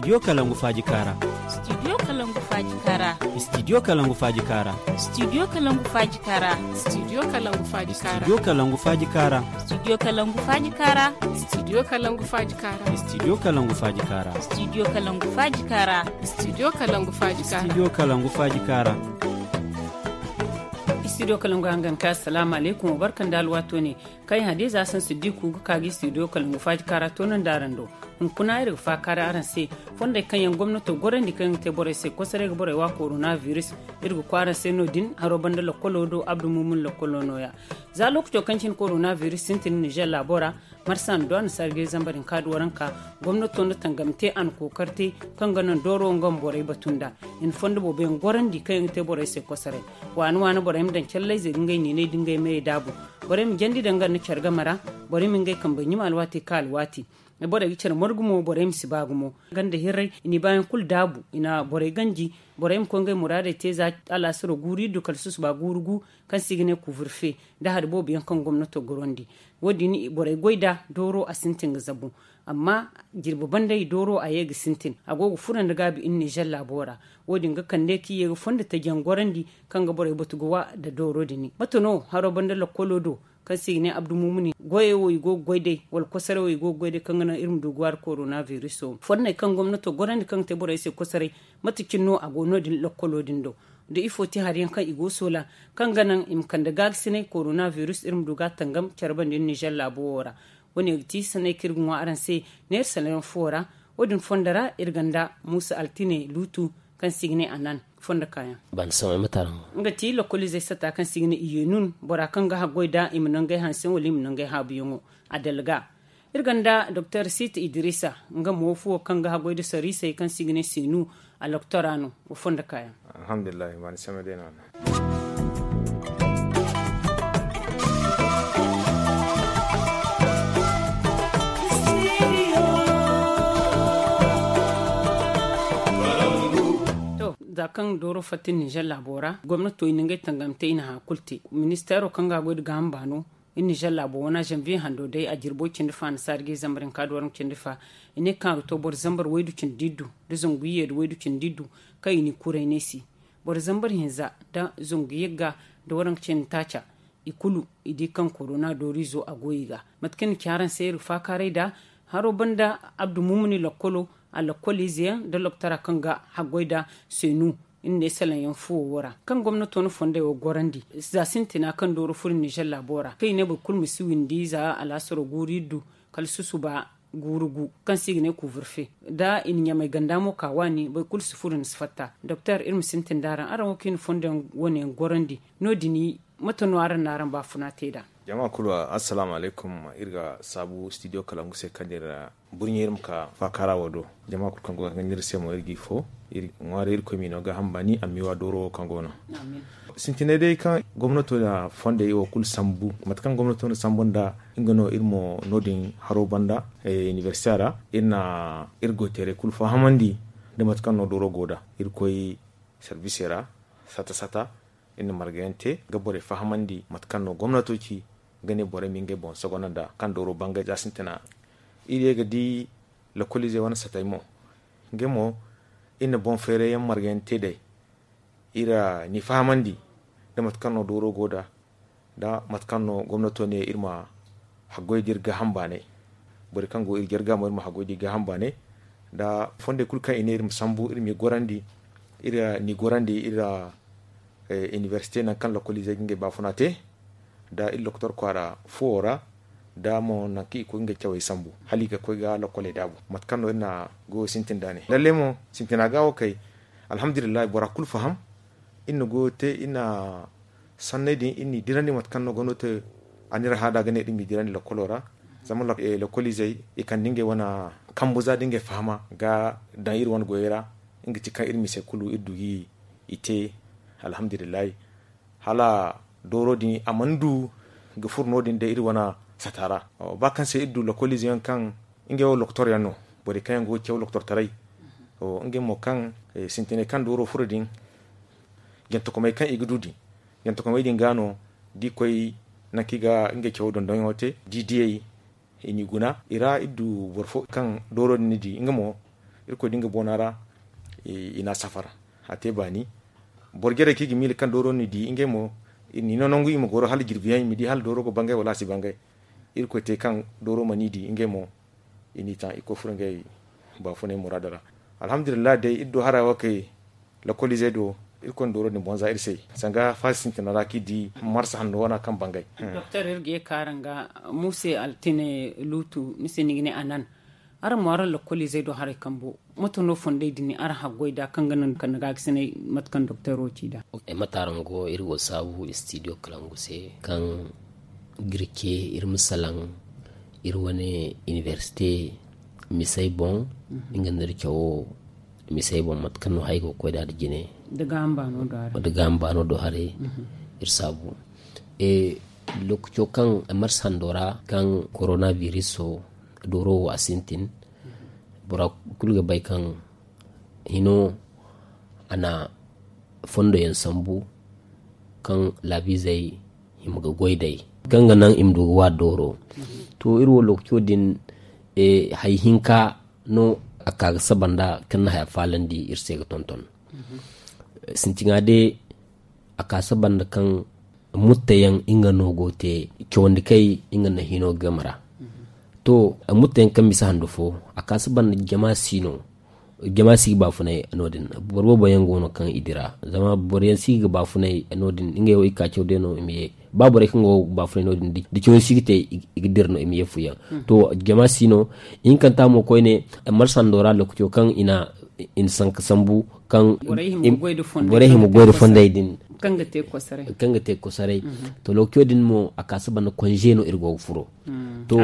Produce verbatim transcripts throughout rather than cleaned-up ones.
Studio Kalangu Faaji Kaara. Studio Kalangu Faaji Kaara. Studio Kalangu Faaji Kaara. Studio Kalangu Faaji Kaara. Studio Kalangu Faaji Kaara. Studio Kalangu Faaji Kaara. Studio Kalangu Faaji Kaara. Studio Kalangu Faaji Kaara. Studio Kalangu Faaji Kaara. Studio Kalangu Faaji Kaara. Studio Kalangu Faaji Kaara. Studio Kalangu Faaji Kaara. Studio Kalangu hangan ka, assalamu alaikum, wa barkan da alwato ne. Kaŋ hadiza san siddiku ga ka ga studio Kalangu Faaji Kaara to nan da araŋ do. Hunkuna iri ga faakaaray araŋ se fondey kaŋ yaŋ gomnato gorandi kaŋ yaŋ ga te borey se kosoray ga borey wa korona virus. Iri ga koy araŋ se no- din haro banda lokkolo do abdu mumun lokkolo nooya. Za lokaco kaŋ cine korona virus sintin nizer laabo ra, marsa nda duwa na sargay zambar hinka da waranka. Gomnato nda tangam te a na kookari te kaŋ ga naŋ dooro nga ma borey batu nd'a. I na fondo boobo yaŋ gorandi kaŋ yaŋ ga te borey se kosoray. Waani waani borey ma daŋ callayzey ga ngey niinay da ngey meyey daabu. Borey ma jandi daŋ nga nda care game ra. Borey ma ngey kambey ɲuma alwaati ka alwaati. Borey ga care margu mo borey ma si ba gumo. Ganda hirray i na i baayaŋ kulu daabu, i na borey ganji. Borey ma koy ngey muraadey te za alaasaro guuru iddu kala susuba guuru gu, kaŋ se i ga ne kuuvirfe, nda hari boobo yaŋ kaŋ gomnato gorandi. Wo- din borey goy nd'a dooro a sintin ga zabu. Amma jirbi banday dooro a ye ga sintin a go ga furo nda gaabi iri nizer laabo ra. Wo- din ga kande kaŋ i ye ga fondo taji yaŋ gorandi kaŋ ga borey batu ga wa nda dooro din. Mate no haro banda lokkolo do kaŋ se i ga ne abdu mumuni goyey wo i go ga goy day wala kosoray wo i go ga goy day kaŋ ga naŋ iri ma du ga wa nda korona viruso? Fonney kaŋ gomnato gorandi kaŋ ga te borey se kosoray, mate cine no a go no- din lokkolo din do? Da ifo te hari yaŋ kaŋ i go ga soola kaŋ ga naŋ i ma kande gaagasinay korona virus iri ma du ga a tangam care banda iri nizer laabo wo ra. Wo- ne ga ti sanney kaŋ iri ga ŋwa araŋ se neera salaŋ yaŋ fo ra. Wo- din fondo ra iri gonda muusa altine luutu kaŋ se i ga ne a nan fondo kaayaŋ. Nga ti lokkoliizey sata kaŋ se i ga ne i ye nun bora kaŋ ga haggoy nd'a i ma nangey hanse wala i ma nangey haabuyaŋo. A dalga iri gonda doktor siita idiriisa, nga mo fuwo kaŋ ga haggoy nda soriisey kaŋ se i ga ne seenu. A loktora no. Wa fondo kaayaŋ. Alhamdulillahi. To, za kaŋ dooro fatta nizer laabo ra gomnato i na ngey tangam te i na haya kulu te. Ministeero kaŋ ga a goy nda gaaham baano, iri nizer laabo wana zanviye hando day a jirbo cindi fa na saari ga i zambar hinka da waranka cindi fa. I ne kaŋ a ga to boro zambar waydu cindi iddu nda zangu iyye nda waydu cindi iddu kaŋ i n'i kuray neesi. Boro zambar hinza nda zangu yagga nda waranka cindi taaca, i kulu i di kaŋ korona dooriizo a go i ga. Mate kaŋ ni ci araŋ se iri ga faakaaray nd'a haro banda abdu mumuni lokkolo, a lokkoliize yaŋ nda loktora kaŋ ga haggoy nd'a seenu. Iri ne salaŋ yaŋ fuwo wo ra kaŋ gomnato na fondey wo gorandi za sintina kaŋ dooro furo nizer laabo ra kaŋ i ne boro kulu ma si windi za alaasaro guuru iddu kala susuba guuru gu kaŋ se i ga ne kuuvirfe. Da i na ɲamay ganda mo ka waani boro kulu si furo ni si fatta. Doktor iri ma sintin nd'araŋ araŋ wo kaŋ i na fondo yaŋ wane yaŋ gorandi no- din mate no araŋ na araŋ baafuna te nd'a? Jama kulu, assalaamu alaykum. Iri ga saabu studio kalangu se kaŋ iri burɲe iri ma ka faakaara wo do. Jama kulu kaŋ go ga hangan iri se mo iri g'i fo. Iri ŋwaaray irkoy m'i no gaaham baani amma i wa dooro wo kaŋ go no. Sintinay day kaŋ gomnato na fondey wo kulu sambu mate kaŋ gomnato na sambu nda nga no iri mo no- din haro banda. Inibersite ra iri na iri goyteerey kulu fahamandi nda mate kaŋ no dooro go nd'a. Iri koy sarbisey ra sata sata iri na marga yaŋ te ga borey fahamandi mate kaŋ no gomnato ci ga ne borey ma ngey boŋ sogonda kaŋ dooro bangay za sintina. Iri ye ga di lokoliizey wane satey mo ngey mo iri na boŋ feeray yaŋ marga yaŋ te day. Iri n'i fahamandi nda mate kaŋ no dooro go nd'a nda mate kaŋ no gomnato ne iri ma haggoy da iri gaaham baanay. Borey kaŋ go iri jarga mo iri ma haggoy da iri gaaham baanay nda fondey kulu kaŋ i ne iri ma sambu iri m'i gorandi. Iri n'i gorandi iri inibersite nangu kaŋ lokoliizey ga ngey baafuna te nda iri lokotor kwaara fuwo ra nda mo nangu kaŋ i koy ga ngey cawey sambu hala i ga koy ga lokoley daabu mate kaŋ no iri na goyo sintin nd'a ne lalle mo sintina ga wo kay. Alhamdulillahi bora kulu faham. Iri na goyo te iri na sanney din iri n'i dirandi mate kaŋ no gomnato a n'iri hã nd'a ga ne iri m'i dirandi lokolo ra. Zama lokoliizey i kande ngey wane kambu za nda ngey fahama ga daŋ iri wane goyey ra. Nga ti kaŋ iri misey kulu iri du ga i te. Alhamdulillahi hala dooro din a mana du ga furo no- din day iri wane sata ra. Ba kaŋ se iri du lokoliize yaŋ kaŋ ngey wo lokotor yaŋ no borey kaŋ yaŋ go ga caw lokotortaray. Ngey mo kaŋ sintinay kaŋ dooro furo din jantakomey kaŋ i ga du din jantakomey din ga no da i koy nangu kaŋ i ga ngey cawo dondonyaŋo te da i diyey i n'i guna i ra iri du boro fo kaŋ dooro din ni di nga mo Irkoy da nga boona ra, i n'a safara. A te baani. Boro jarey kaŋ i ga miila kaŋ dooro n'i di ngey mo, i n'i no nangu i ma goro hala jirbi yaŋ i ma di hala dooro ga bangay wala a si bangay. Irkoy te kaŋ dooro man'i di ngey mo, i n'i taŋ i koy furo ngey baafunay muraado ra. Alhamdulillahi day iri do hara wo kay, lakoliizey do, irkoy na dooro din bonza iri se sanga faasi sintina ra kaŋ i di marsa hanno wana kaŋ bangay. Doktor, iri ga ye ka araŋ ga muuse altine luutu ni se ni ga ne a nan. Araŋ mo araŋ lakoliizey do haray kambo, mate no fondey din araŋ haggoy nd'a kaŋ ga naŋ kande ga ga sinay mate kaŋ doktor wo ci nd'a? Mate araŋ go iri go saabu studio kalangu se kaŋ ga iri ce iri ma salaŋ iri wane inibersite misey boŋ. Nga nda iri cawo misey boŋ mate kaŋ no haya go ga koy nd'a nda jine nda gaaham baano do haray. Iri saabu lookaco kaŋ marsa hando ra kaŋ korona biriso dooro wo a sintin. Bora kulu ga bay kaŋ hino a na fondo yaŋ sambu kaŋ laabiizey hima ga goy day kaŋ ga naŋ i ma du ga waati dooro. To iri wo lookaco din, hay hinka no a ka ga saba nda kaŋ na haya faalandi iri se ga tonton. Sintiŋa day a ka saba nda kaŋ mutteyaŋ nga no go te cawandi kay nga na hino game ra. To mutteyaŋ kaŋ bisa handu fo a ka saba nda jama si no. Jama si ga baafunay no- din. Boro boobo yaŋ go no kaŋ i dira zama boro yaŋ si ga baafunay no- din ngey wo i ka caw day no i ma ye. Ba borey kaŋ go ga baafunay no- din da caw si ga te i ga dira no i ma ye fuyaŋ. To jama si no. Ihinkanta mo koyne marsa hando ra lookaco kaŋ i na sanka sambu kaŋ borey hima goy da fondey din kaŋ ga te kosaray. To lookaco din mo a ka saba nda konze no iri go ga furo. To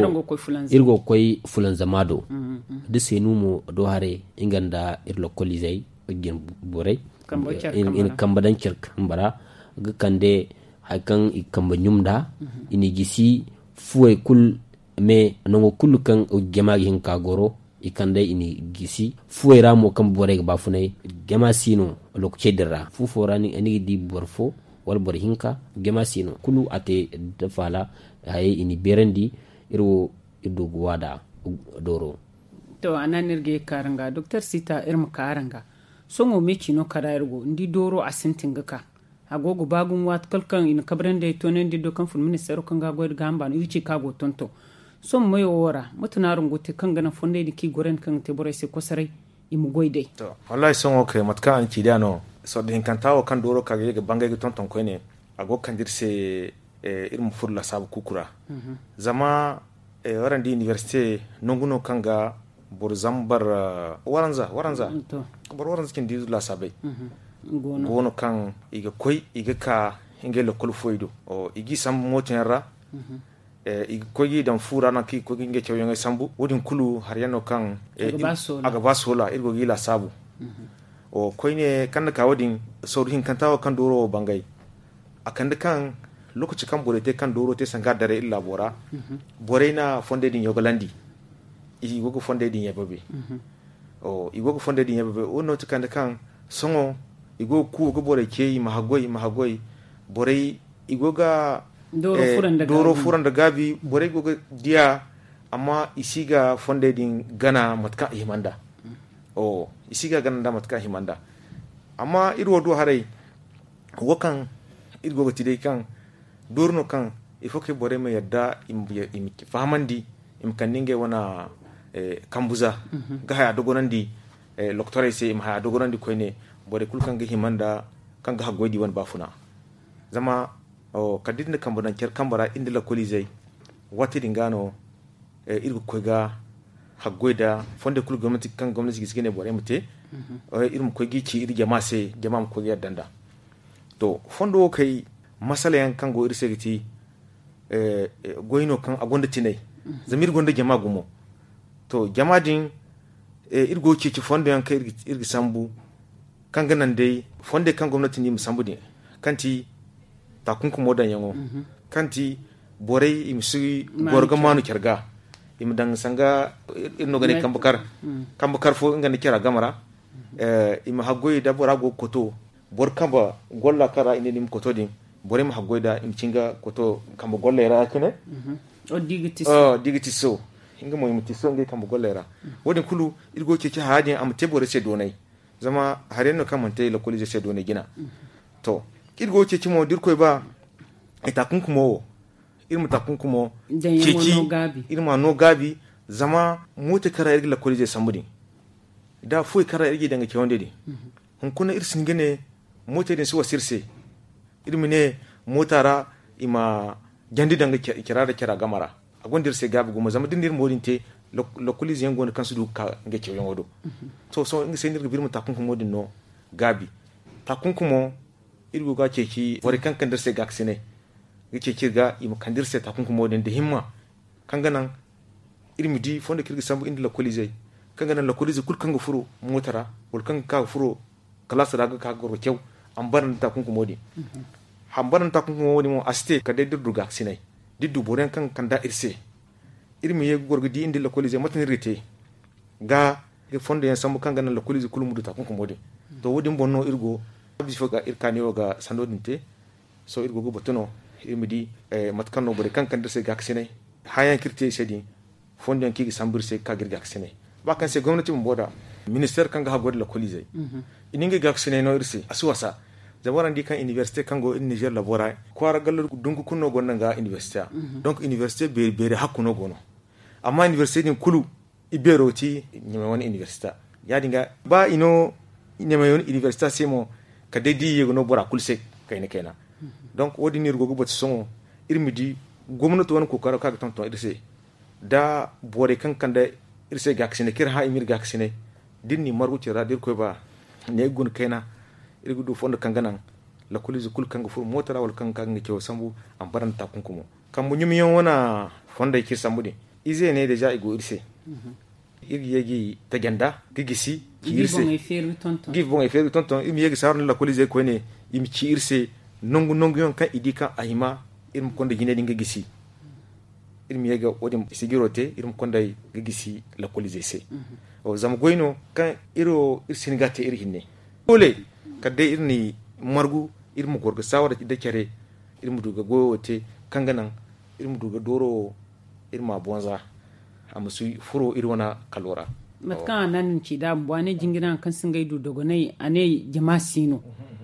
iri go ga koy fulanzama do da seenu mo do haray nga nda iri lokoliizey. Borey i na kamba daŋ care kamba ra ga kande hari kaŋ i ga kamba ɲum nd'a. I n'i gisi fuwey kulu me nango kulu kaŋ jama ga hin ka goro. I kand'ey i n'i gisi fuwey ra mo kaŋ borey ga baafunay. Jama si no lookacey din ra fu fo ra ni ga di boro fo wala boro hinka. Jama si no kulu a te da faala hayey i n'i beerandi. Iri wo iri du ga waada dooro. To a na no iri ga ye ga kaara nga doktor sita iri ma kaara nga. Sohõ me ciino kara iri go ni di dooro a sintin ga ka. A go ga ba gumo waati kala kaŋ i na kabrandi ay toonandi do kaŋ fun ministeero kaŋ ga goy da gaaham baano i ga ci kaŋ a go tonton. Sohõ mayo wo ra mate no araŋ go ga te kaŋ ga naŋ fondey din kaŋ i gorandi kaŋ ga te borey se kosoray i ma goy day? Wallaahi sohõ kay mate kaŋ a na ci day a no. Sorro hinkanta wo kaŋ dooro ka ga ye ga bangay ga tonton koyne a go ga kande iri se. Iri ma furo lasaabu kuuku ra. Zama waraŋ di inibersite nangu no kaŋ ga boro zambar waranza waranza boro waranza cindi lasaabey go no kaŋ i ga koy i ga ka ngey lakkol fuwey do. I g'i sambu mooto yaŋ ra. I ga koy g'i daŋ fu ra nangu kaŋ i ga koy ga ngey cawyaŋey sambu wo- din kulu hari yaŋ no kaŋ a ga ba soola iri go g'i lasaabu. Koyne kaŋ na ka wo- din sawru hinkanta wo kaŋ dooro wo bangay. A kande kaŋ lookaci kaŋ borey te kaŋ dooro te sanga daray iri laabo ra borey na fondey din yogalandi. I go ga fondey din yababe. I go ga fondey din yababe wo- din no ti kande kaŋ sohõ i go ga kuuwa ga borey ce i ma haggoy i ma haggoy. Borey i go ga dooro fura nda gaabi borey go ga diya. Amma i si ga fondey din gana mate kaŋ a hima nd'a. I si ga gana nd'a mate kaŋ a hima nd'a. Amma iri wo du haray wo kaŋ iri go ga ti day kaŋ doori no kaŋ ifo kay borey ma yadda i ma fahamandi i ma kande ngey wane kambuza ga haya dogonandi. Lokotorey se i ma haya dogonandi koyne borey kulu kaŋ ga hima nda kaŋ ga haggoy da i wane baafuna. Zama kala da iri na kambe daŋ care kambe ra iri nda lakkoliizey waati din ga no iri ga koy ga haggoy nda fondey kulu gomnati kaŋ gomnati gisi ga ne borey ma te. Iri ma koy g'i ci iri jama se jama ma koy ga yadda nd'a. To fondo wo kay masala yaŋ kaŋ go iri se ga ti goy no kaŋ a gonda tinay. Zama iri gonda jama gumo to jama din iri go ga ceeci fondo yaŋ kaŋ iri ga sambu kaŋ ga naŋ day fondey kaŋ gomnati no i ma sambu din kaŋ ti takunkumo daŋyaŋo kaŋ ti borey i ma si goro ga maanu care ga. I ma daŋ sanga iri no ga ne kambe kar fo nga nda cara game ra. I ma haggoy da bora go ga koto boro kambe golla kaŋ ra i ne ni ma koto din borey ma haggoy da i ma ci nga koto kambe golley ra ya- cine. Da i ga tiso Nga mo i ma ti so ngey kambe golley ra. Wo- din kulu iri go ga ceeci haya din a ma te borey se doonay. Zama hari yaŋ no kaŋ mana te lakkoliizey se doonay jina. To, iri go ga ceeci mo da irkoy ba, taakunkumo wo, iri ma taakunkumo ceeci, iri ma a no gaabi. Zama mootey kaŋ ra iri ga lakkoliizey sambu din, da fuwey kaŋ ra iri ga i daŋ ga cawandi din, hunkuna iri si hin ga ne mootey din si wasa iri se. Iri ma ne moota ra i ma jandi daŋ ga care nda care game ra. A gonda iri se gaabi gumo zama da iri na iri mo din te, lakkoliize yaŋ go no kaŋ si du ga ka ngey cawyaŋo do. To sohõ nga se no iri ga ba iri ma taakunkumo din no gaabi. Taakunkumo, iri go ga a ceeci borey kaŋ ga kande iri se gaakasinay ga ceeci iri ga i ma kande iri se taakunkumo din nda himma, kaŋ ga naŋ iri ma di fondo kaŋ iri ga sambu iri nda lakkoliizey, kaŋ ga naŋ lakkoliize kulu kaŋ ga furo moota ra, wala kaŋ ga ka ga furo kalaasa ra ga ka ga goro ga caw, a ma bara nda taakunkumo din. A ma bara nda taakunkumo din mo a si te kala day da iri du gaakasinay, da iri du boro yaŋ kaŋ ga kand'a iri se. Iri ma ye ga goro ga di iri nda lakkoliizey mate no iri ga te ga fondo yaŋ sambu kaŋ ga naŋ lakkoliize kulu ma du taakunkumo din. To wo- din boŋ no iri go, iri ka neewo ga sanno din te. Sohõ iri go ga batu no iri ma di mate kaŋ no borey kaŋ ga kande iri se gaakasinay, haya yaŋ kaŋ iri te i se din, fondo yaŋ kaŋ i ga sambu iri se ga ka ga iri gaakasinay. Ba kaŋ se gomnati bumbo da ministeer kaŋ ga haggoy nda lakkoliizey, i na ngey gaakasinay no iri se a si wasa. Zama araŋ di kaŋ inibersite kaŋ go iri nizeer labo ra, kwaara gallo dungu kulu no gonda nga inibersite. Donc inibersite beeri beeri hakku no go no. Amma inibersite din kulu, i beero ti ɲamay wane inibersita. Ya- din ga ba i no ɲamay wane inibersita se mo, kala day da i ye ga no bora kulu se kayna kayna. Donc wo- din no iri go ga batu sohõ, iri ma di gomnati wane kookaro kaŋ a ga tonton iri se, da borey kaŋ ga kande iri se gaakasinay kaŋ iri hã i ma iri gaakasinay, da iri n'i margu care ra da irkoy ba, ne ga guna kayna, iri ga du fondo kaŋ ga naŋ lakkoliize kulu kaŋ ga furo moota ra wala kaŋ ga ka ga nga cawo sambu, a ma bara nda taakunkumo. Kambe ɲumiyaŋ wane fondey kaŋ iri sambu din, izeeney deeza i go iri se. Iri ga ye g'i taja nda ga gisi ci iri se. Ga i boŋey feeri ga tonton iri ma ye ga saaru nda lakkoliizey koyne, i ma ci iri se nangu nangu yaŋ kaŋ i di kaŋ a hima iri ma konda jinay din ga gisi. Iri ma ye ga wo- din sijiro te iri ma konda ga gisi lakkoliizey se. Zama goy no kaŋ iri wo iri si hin ga a te iri hinne. Doole kala day iri n'i margu, iri ma goro ga saawara nda care, iri ma du ga goyo wo te, kaŋ ga naŋ iri ma du ga dooro wo iri m'a bonza, a ma si furo iri wane kalo ra. Mate kaŋ a naŋ ni ci nd'a bumbo a ne jingiri haŋ kaŋ si ngey du dogonay a ne jama si no.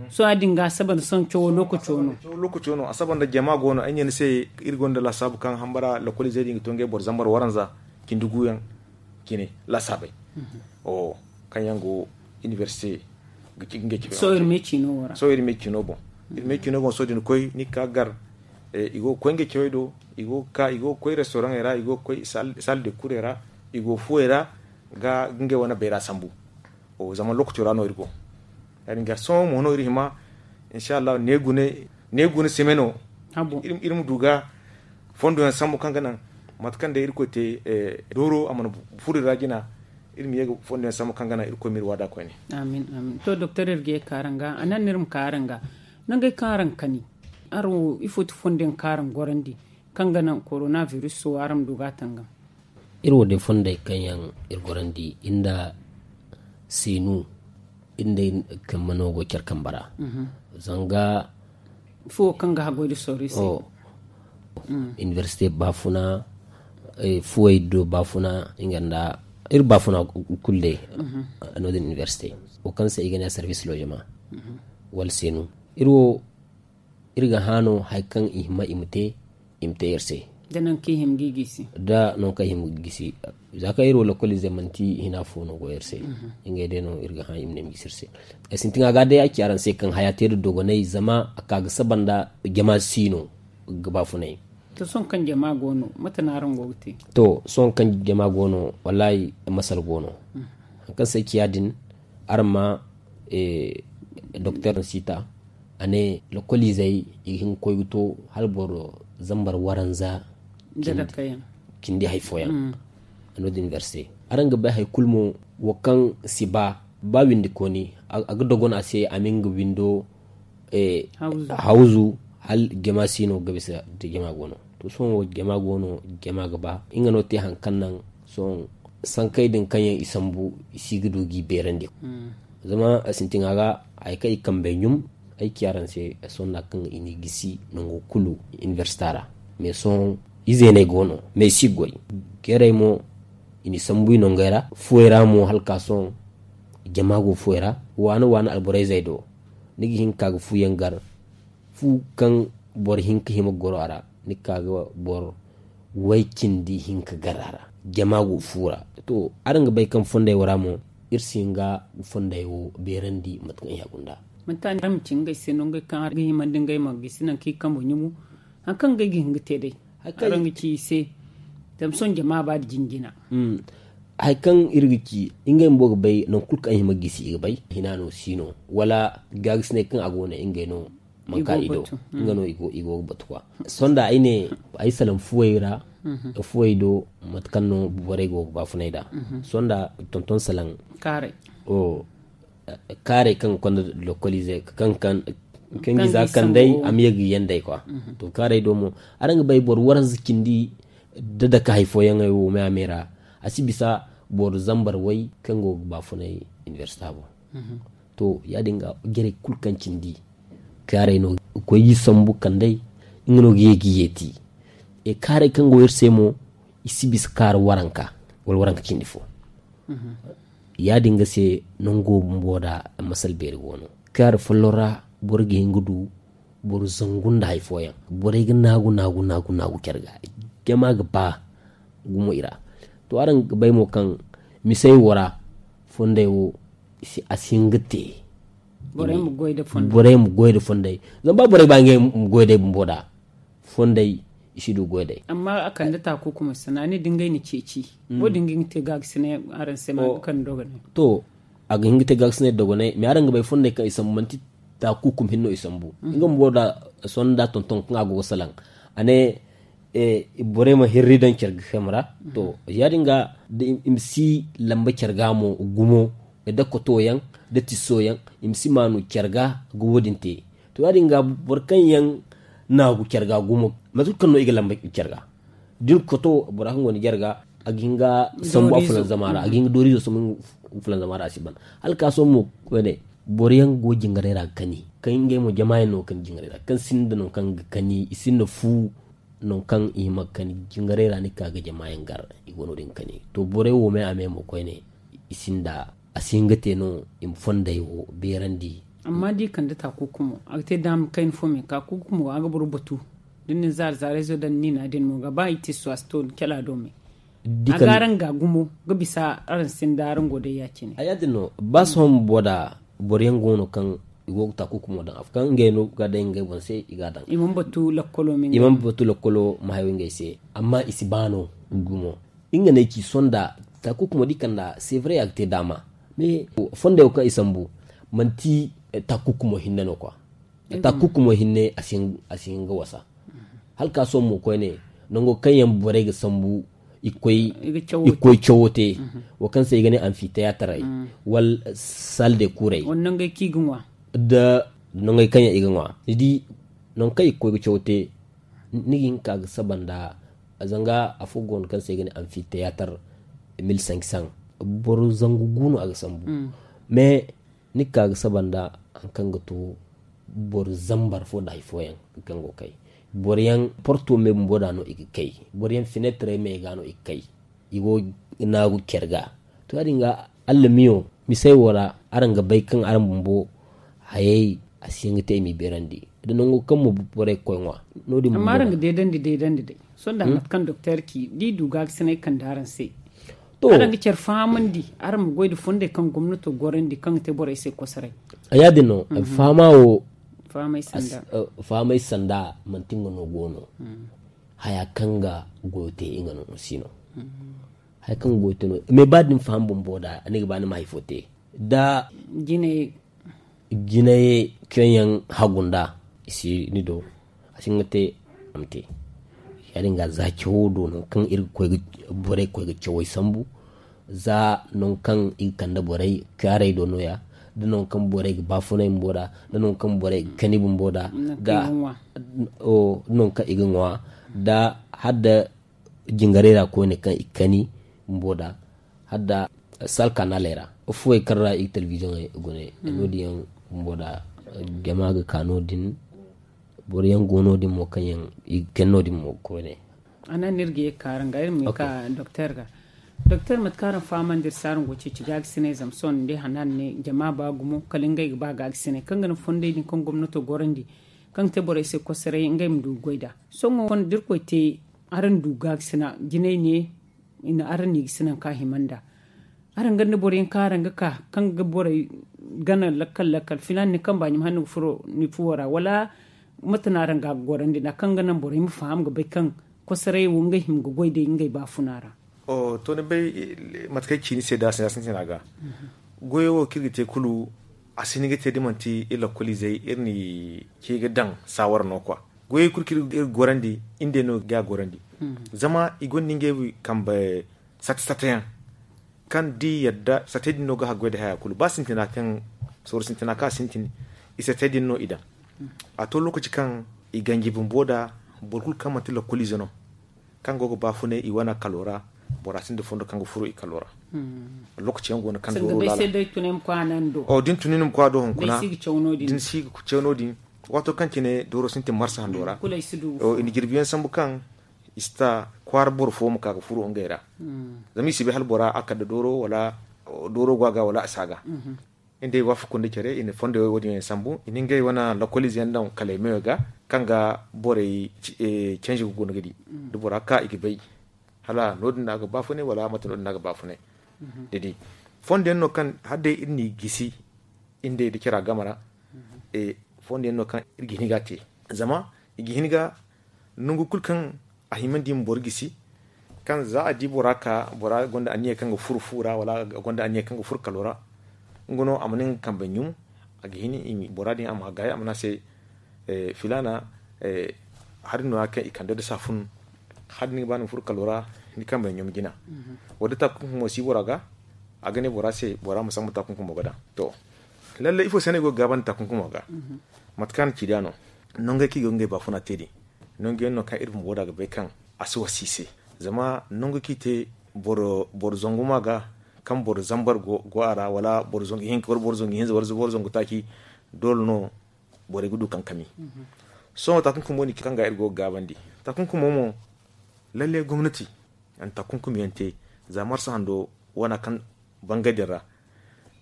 Sohõ ya- din ga a saba nda sohõ cawo lookaco no. Lookaco no a saba nda jama go no ay ne ni se, iri gonda laasaabu kaŋ hambara lakkoliizey din ga to ngey boro zambar waranza cindi guyaŋ cine laasaabey, kaŋ yaŋ go inibersite ga ci ngey cawey. Sohõ iri me ciino boŋ. Iri me ciino boŋ sohõ da ni koy ni ga ka gar, i go ga koy ngey cawey do, i go ga ka i go ga koy restoraŋey ra, i go ga koy salle de kurey ra, i go fuwey ra ga ngey wane bayra sambu. Zama lookaco ra no iri go. Ya- din ga sohõ mo no iri hima, insa allahu ne gune sime no iri ma du ga fondo yaŋ sambu kaŋ ga naŋ mate kaŋ day irkoy te dooro a mana furo iri ra jina. Iri ma ye ga fondo yaŋ sambu kaŋ ga naŋ irkoy ma iri waada koyne. Amin, amin. To doktor iri ga ye ga ka araŋ ga a naŋ no iri ma ka araŋ ga nangey kaŋ araŋ kani, araŋ wo ifo ti fondo yaŋ kaŋ araŋ gorandi kaŋ ga naŋ korona biris wo araŋ ma du ga a tangam? Iri wo day fondey kaŋ yaŋ iri gorandi iri nda seenu iri nda iri kambe no go care kambe ra. Zanga fuwo kaŋ ga haggoy da sorro iri se. Inibersite baafuna, fuwey do baafuna, nga nda iri baafuna kulu day. Noodin inibersite wo kaŋ se i ga ne service logement wala seenu, iri wo iri ga hã no hari kaŋ i hima i ma te i ma te iri se. Da nangu kaŋ i hima ga i gisi. Da nangu kaŋ i hima ga i gisi. Za kaŋ iri wo lakkoliizey manti hina fo no go iri se. Ngey day no iri ga hã i ma ne i ma gisi iri se. Ay sintin a ga day ay ci araŋ se kaŋ haya te nda dogonay zama a ka ga saba nda jama si no ga baafunay. To sohõ kaŋ jama go no mate no araŋ go ga te? To sohõ kaŋ jama go no wallaahi masal go no. Hari kaŋ se ay ci ya- din araŋ ma doktor sita a ne lokoliizey i ga hin ga koy ga to hala boro zambar waranza cindi hari fooyaŋ. Noodin iri se araŋ ga bay hari kulu mo wo kaŋ si ba ba windikooni a ga dogon a se a ma nga windo hawzu hala jama si no ga bisa da jama go no. To sohõ wo jama go no jama ga ba nga no te hari kaŋ naŋ sohõ sankey din kaŋ yaŋ i sambu i si ga du ga i beerandi. Zama a sintin a ga hari kaŋ i kambey ɲum ay ci araŋ se sohõ nda kaŋ i n'i gisi nango kulu inibersita ra. Mais sohõ izeeney go no mais i si ga goy. Keerey mo i n'i sambu i nongey ra. Fuwey ra mo hala ka sohõ jama go fuwey ra. Waana waana alborayzey do ni ga hin ka ga fuyaŋ gar. Fu kaŋ boro hinka hima ga goro a ra, ni ga ka ga boro way cindi hinka gar a ra. Jama go fu ra. To, araŋ ga bay kaŋ fondey wo ra mo iri si hin ga fondey wo beerandi mate kaŋ i hagu nd'a. Manti a ne araŋ ma ci ngey se no ngey kaŋ araŋ ga himandi ngey ma gisi nangu kaŋ i kambo ɲumu. Hari kaŋ ngey ga hin ga te day, araŋ ga ci i se. Zama sohõ jama ba da jinjina. Hari kaŋ iri ga ci ngey bumbo ga bay nangu kulu kaŋ i hima ga gisi i ga bay hina no si no, wala gaagasinay kaŋ a go no ngey no manka i do. Nga no i go ga batu kwa. Sonda ay ne ay salaŋ fuwey ra. Fuwey do mate kaŋ no borey go ga baafunay nd'a. Sonda tonton salaŋ kaarey kaŋ ga konda lokolize kaŋ ga za kandey a ma ye ga yaŋ day kwa. To kaarey do mo, araŋ ga bay boro waranza cindi da dake hari fooyaŋey wo me a me ra. A si bisa boro zambar way kaŋ go ga baafunay inibersita boŋ. To ya- din ga jarey kulu kaŋ cindi kaarey no ga koy ga sambu kandey. Nga no ga ye ga yeeti. E kaarey kaŋ go iri se mo i si bisa kaara waranka wala waranka cindi fo. Ya- din ga se nango bumbo da masal beeri go no kaara folloŋ ra. Boro ga hin ga du boro zangu nda hari fooyaŋ. Borey ga naagu naagu naagu naagu care ga jama ga ba gumo i ra. To araŋ ga bay mo kaŋ misey wo ra fondey wo a si hin ga te. Borey ma goy nda fondey zama ba borey ba ngey ma goy day bumbo da fondey i si du goy day. Amma a kande taakukumo sanaani da ngey na ceeci wo- din ga hin ga te gaagasinay araŋ se ma ga kande dogonay. To a ga hin ga te gaagasinay dogonay mais araŋ ga bay fondey kaŋ i sambu manti taakukum hinno i sambu. Nga bumbo da sonda tonton kaŋ a go ga salaŋ a ne borey ma hirri daŋ care ga kayma ra. To ya- din ga da i ma si lamba care ga mo gumo da koto yaŋ da tisso yaŋ i ma si maanu care ga ga wo- din te. To ya- din ga boro kaŋ yaŋ naagu care ga gumo mate kulu kaŋ no i ga lamba care ga da ni koto bora kaŋ go ni jare ga a ga hin ga sambu a fulanzama ra a ga hin ga dooriizo sambu fulanzama ra a si ban. Hala ka sohõ mo koyne boro yaŋ go jingarey ra ga kani kaŋ ngey mo jama yaŋ no ga kani jingarey ra kaŋ sinda nangu kaŋ ga kani i sinda fu. Nangu kaŋ i hima ga kani jingarey ra ni ga ka ga jama yaŋ gar i go no- din ga kani to borey wo me a me mo koyne i sinda a si hin ga te no i ma fondey wo beerandi. Amma da i kande taakukumo a ga te daama kayna fo me taakukumo a ga boro batu da ni na zaari zaarayzo daŋ ni na din mo ga ba i tisso a si to kala do me. A ga araŋ ga gumo ga bisa araŋ sinda araŋ go day ya- cine. A ya- din no ba sohõ bumbo da boro yaŋ go no kaŋ i go ga taakukumo daŋ afo kaŋ ngey no ga day ngey boŋ se i ga a daŋ. I mana batu lakkolo ma hayo ngey se amma i si ba no gumo. Nga no ay ci sonda taakukumo da i kand'a sevre a ga te daama. Mais fondey wo kaŋ i sambu manti taakukumo hinne no kwa. Taakukumo hinne a si hin ga wasa. Hala ka sohõ mo koyne nango kaŋ yaŋ borey ga sambu i ga koy cawo te wo kaŋ se i ga ne anfiteyaataray wala sal de kuurey da nangey kaŋ yaŋ i ga ŋwa ni di nangu kaŋ i ga koy ga cawo te. Ni ga hin ka ga saba nda zanga afo go no kaŋ se i ga ne anfiteyatar mil sank san boro zangu gu no a ga sambu. Mais ni ga ka ga saba nda hari kaŋ ga to boro zambar fo nda hari fooyaŋ kaŋ go kay boro yaŋ porto me bumbo da no i ga kay boro yaŋ finetrey me ga no i ga kay. I go ga naagu care ga to ya- din ga allamiyo misey wo ra araŋ ga bay kaŋ araŋ bumbo hayey a si hin ga te i m'i beerandi da nango kaŋ mo borey ga koy ŋwa. No- din amma araŋ ga deedandi deedandi day sonda mate kaŋ doktor ci da i du gaagasinay kande araŋ se. To araŋ ga care fahamandi araŋ ma goy nda fondey kaŋ gomnato gorandi kaŋ ga te borey se kosoray. A ya- din no fahama wo fahamay sanda manti nga no go no. Haya kaŋ ga goyo te nga no si no. Haya kaŋ ga goyo te no mais ba da ni faham bumbo da ni ga ba ni ma hari fo te da jinay kaŋ yaŋ hagu nda i si ni do a si nga te a ma te. Ya- din ga za cawo do no kaŋ iri ga koy ga borey ga koy ga cawey sambu za nangu kaŋ i ga kande borey kaarey do no- ya da nangu kaŋ borey ga baafunay bumbo da da nangu kaŋ borey ga kani bumbo da da nangu kaŋ i ga ŋwa da hala da jingarey ra koyne kaŋ i ga kani bumbo da hala da sal kanaley ra. Fuwey kaŋ ra i ga telebiziyoŋey gune no- din yaŋ bumbo da jama ga ka no- din. Boro yaŋ go no- din mo kaŋ yaŋ i ga kani no- din mo koyne. A naŋ no iri ga ye ga ka araŋ ga, iri ma ye ga ka doktor ga. Doktor, mate kaŋ araŋ fahamandi iri se araŋ go ga ceeci gaakasinay zama sohõ ni di hana araŋ ne jama ba gumo kala ngey ga ba gaakasinay kaŋ ga naŋ fondey din kaŋ gomnato gorandi kaŋ ga te borey se kosoray ngey ma du ga goy nd'a. Sohõ da irkoy te araŋ du gaakasina jinay ne araŋ n'i ga sina nangu kaŋ a hima nd'a. Araŋ ga ne boro yaŋ kaŋ araŋ ga ka kaŋ ga borey gana lakkal lakkal filaana ni kamba ɲum hala ni ga furo ni fuwo ra wala mate no araŋ ga a ga gorandi nd'a kaŋ ga naŋ borey ma faham ga bay kaŋ kosoray wo ngey hima ga goy day ngey baafuna ra? To ni bay mate kaŋ ay ci ni se da sintina ga goyo wo kaŋ iri ga te kulu a si hin ga te da manti iri lakkoliizey iri n'i ce ga daŋ saawara no kwa. Goyey kulu kaŋ iri ga gorandi iri day no ga a gorandi. Zama i gonda ngey kambe sata sata yaŋ kaŋ da i yadda satey din no ga haggoy nda haya kulu ba sintina kaŋ sooru sintina kaŋ a sintin i satey din no i daŋ. A to lookaci kaŋ i ganji bumbo nda boro kulu kaŋ manti lakkoliize no kaŋ go ga baafunay i wane kalo ra. Bora sinda fondo kaŋ ga furo i kalo ra. Lookaci yaŋ go no kaŋ dooro laala da ni tun ni ma koy a do hunkuna da ni si ga caw no- din. Waato kaŋ cine dooro sintin marsa hando ra i na jirbi yaŋ sambu kaŋ i si ta kwaara boro fo ma ka ga furo ngey ra. Zama i si bay hala bora a kala dooro wala dooro go a ga wala a si a ga. Iri day waafaku nda care i na fondo wo- din yaŋ sambu i na ngey wane lakkoliize yaŋ daŋ kalay meyo ga kaŋ ga borey canji ga guna ga di da bora ka i ga bay hala no- din no a ga baafunay wala mate no- din no a ga baafunay. Da di fondo yaŋ no kaŋ hala day iri n'i gisi iri day nda cara game ra. Fondo yaŋ no kaŋ iri ga hin ga a te zama i ga hin ga nangu kulu kaŋ a himandi ma boro gisi kaŋ za a di bora ka bora gonda anniya kaŋ ga furo fu ra wala gonda anniya kaŋ ga furo kalo ra. Nga no a mana nga kambe ɲum a ga hin bora din a ma gaayi a ma ne a se filaana hari no- ya kaŋ i kande nda saafun hari no ni ga ba ni ma furo kalo ra ni kambe ɲum jina. Wala da taakunkumo si bora ga a ga ne bora se bora ma sambu taakunkumo ga daŋ. To lallai ifo se no ay go ga gaabandi taakunkumo ga mate kaŋ a na ci da no nongey kaŋ i go ga ngey baafuna te din. Nangu yaŋ no kaŋ iri bumbo da ga bay kaŋ a si wasa i se zama nangu kaŋ i te boro zangu ma ga kaŋ boro zambar go a ra wala boro zangu hinza wala boro zangu taaci doole no borey ga du kankami. Sohõ taakunkumo din kaŋ ga iri go ga gaabandi taakunkumo mo lallai gomnati a na taakunkumo yaŋ te za marsa hando wana kaŋ bangay din ra.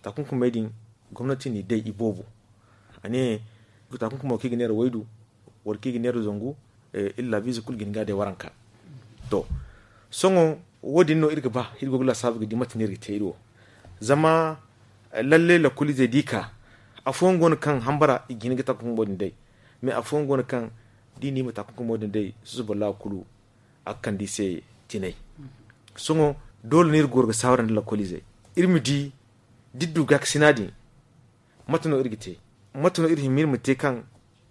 Taakunkumey din gomnati n'i day i boobo a ne taakunkumo kaŋ i ga neera waydu wala kaŋ i ga neera zangu iri laabiize kulu ga hin ga a day waranka. To sohõ wo- din no iri ga ba iri go ga laasaabu ga di mate no iri ga te iri wo. Zama lallai lakkoliizey da i ka afooyaŋ go no kaŋ hambara i ga hin ga taakunkumo din day. Mais afooyaŋ go no kaŋ da i na i ma taakunkumo din day susuba laawa kulu a ga kande i se tinay. Sohõ doole no iri goro ga saawara nda lakkoliizey iri ma di da iri du gaakasina din mate no iri ga te? Mate no iri hima iri ma te kaŋ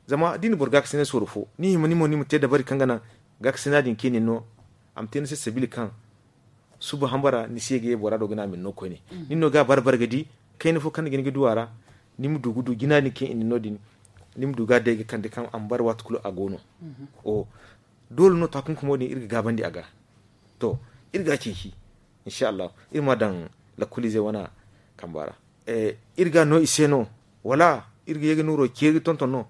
zama da i na boro gaakasinay sooru fo ni hima ni mo ni ma te dabari kaŋ ga naŋ gaakasina din kaŋ i na ni no a ma te ni se sabiila kaŋ suba hambara ni si ye ga ye bora do ga ne a ma ni no koyne. Ni no ga a bare bare ga di kayna fo kaŋ ni ga hin ga du a ra ni ma du ga du jina din kaŋ i na ni no din ni ma du ga a day ga kande kaŋ a ma bare waati kulu a go no. Doole no taakunkumo din iri ga gaabandi a ga. To iri ga a ceeci insa allahu iri ma a daŋ lakkoliizey wane kamba ra. Iri ga a no i se no wala iri ga ye ga nooro ceeri ga tonton no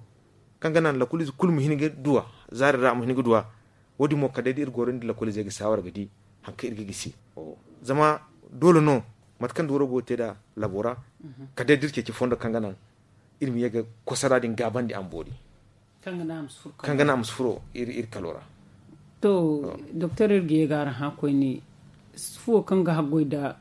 kaŋ ga naŋ lakkoliize kulu ma hin ga duw'a zaari ra a ma hin ga duw'a. Wo- din mo kala day da iri goro nda lakkoliizey ga saawara ga di hari kaŋ iri ga gisi. Zama doole no mate kaŋ dooro go ga te nd'a labo ra kala day da iri ceeci fondo kaŋ ga naŋ iri ma ye ga kosara din gaabandi a ma boori kaŋ ga naŋ a ma si furo iri kalo ra. To doktor iri ga ye ga araŋ hã koyne fuwo kaŋ ga haggoy nda